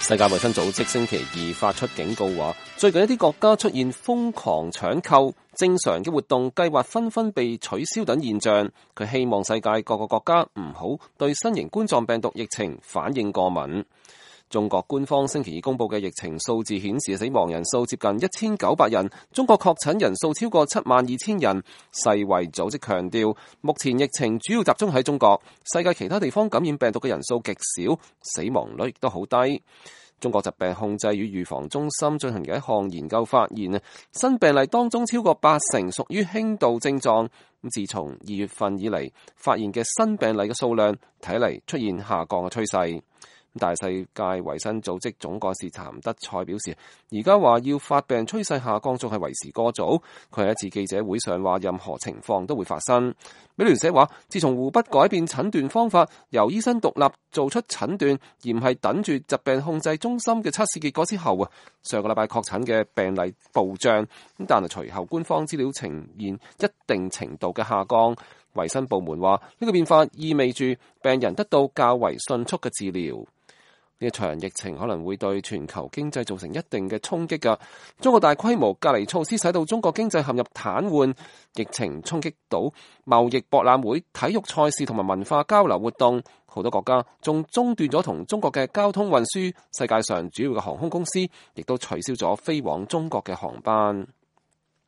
世界衛生組織星期二發出警告話，最近一啲國家出現瘋狂搶購、正常嘅活動計劃紛紛被取消等現象。佢希望世界各個國家唔好對新型冠狀病毒疫情反應過敏。中國官方星期二公布嘅疫情數字顯示，死亡人數接近1900人，中國確診人數超過72000人。世衛組織強調，目前疫情主要集中喺中國，世界其他地方感染病毒嘅人數極少，死亡率亦都好低。中國疾病控制與預防中心進行嘅一項研究發現，新病例當中超過80%屬於輕度症狀。自從2月份以嚟，發現嘅新病例嘅數量睇嚟出現下降嘅趨勢。但係世界衛生組織總幹事譚德塞表示，而家話要發病趨勢下降仲係為時過早。佢喺一次記者會上話，任何情況都會發生。美聯社話，自從湖北改變診斷方法，由醫生獨立做出診斷，而唔係等住疾病控制中心嘅測試結果之後，上個禮拜確診嘅病例暴漲，但係隨後官方資料呈現一定程度嘅下降。衛生部門話，呢個變化意味住病人得到較為迅速嘅治療。呢一場疫情可能會對全球經濟造成一定嘅衝擊㗎。中國大規模隔離措施使到中國經濟陷入癱瘓，疫情衝擊到貿易博覽會、體育賽事同埋文化交流活動，好多國家仲中斷咗同中國嘅交通運輸，世界上主要嘅航空公司亦都取消咗飛往中國嘅航班。